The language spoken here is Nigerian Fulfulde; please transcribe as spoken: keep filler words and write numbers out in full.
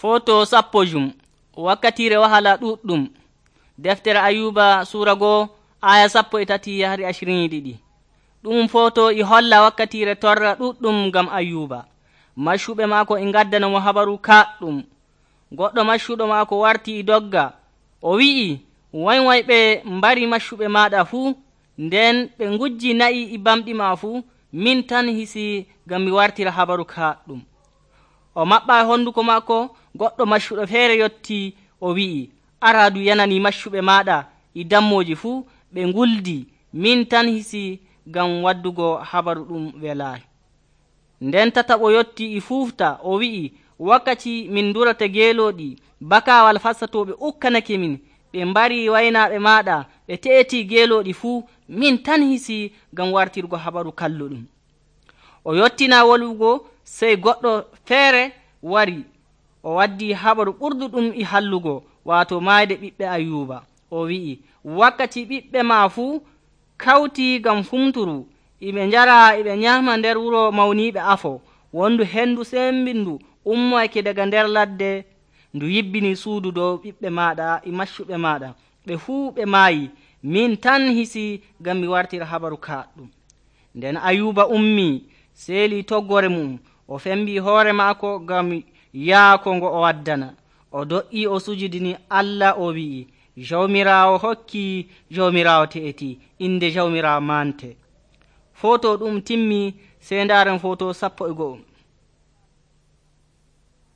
Foto sappo jum wakkatire wahala ɗuɗɗum. Deftere Ayuba sura go aya sappo e tati yahri ashirin e ɗiɗi. Ɗum foto i holla wakkatire torra ɗuɗɗum ngam Ayuba. Maccuɓe maako e ngaddana mo habaru kaɗɗum. Goɗɗo maccuɗo maako warti e dogga, o wi'i, way way ɓe mbari maccuɓe maɗa fuu, nden ɓe ngujji na'i e bamɗi ma fuu, min tan hisi ngam mi wartira habaru kaɗɗum. O maɓɓa honduko maako. Goɗɗo maccuɗo feere yotti, o wi'i, araadu yanani maccuɓe maɗa e dammoji fuu, ɓe nguldi, min tan hisi ngam waddugo habaru ɗum welaayi. Nden tataɓo yotti e fuufta, o wi'i, wakkati min durata geelooɗi, bakawal fassatoɓe ukkanake min, ɓe mbari waynaaɓe maɗa, ɓe te'eti geelooɗi fuu, min tan hisi ngam wartirgo habaru kalluɗum. O yottina wolwugo, sey goɗɗo feere wari, o waddi habaru ɓurduɗum e hallugo, waato maayde ɓiɓɓe Ayuba. O wi'i, wakkati ɓiɓɓe ma fuu kawti ngam fumturu, iɓe njara iɓe nyama nder wuro mawniiɓe afo. Wondu hendu sembindu ummoyake daga nder ladde, ndu yibbini suudu dow ɓiɓɓe maɗa e maccuɓe maɗa. Ɓe fuu ɓe maayi, min tan hisi ngam mi wartira habaru kaɗɗum. Nden Ayuba ummi, seeli toggore mum, o fembi hoore maako ngam yaako ngo o waddana. O do'i o sujudini Allah, o wi'i, Jawmirawo hokki, Jawmirawo te'eti, inde Jawmirawo mante. Foto ɗum timmi, sey ndaren foto sappo e go'o.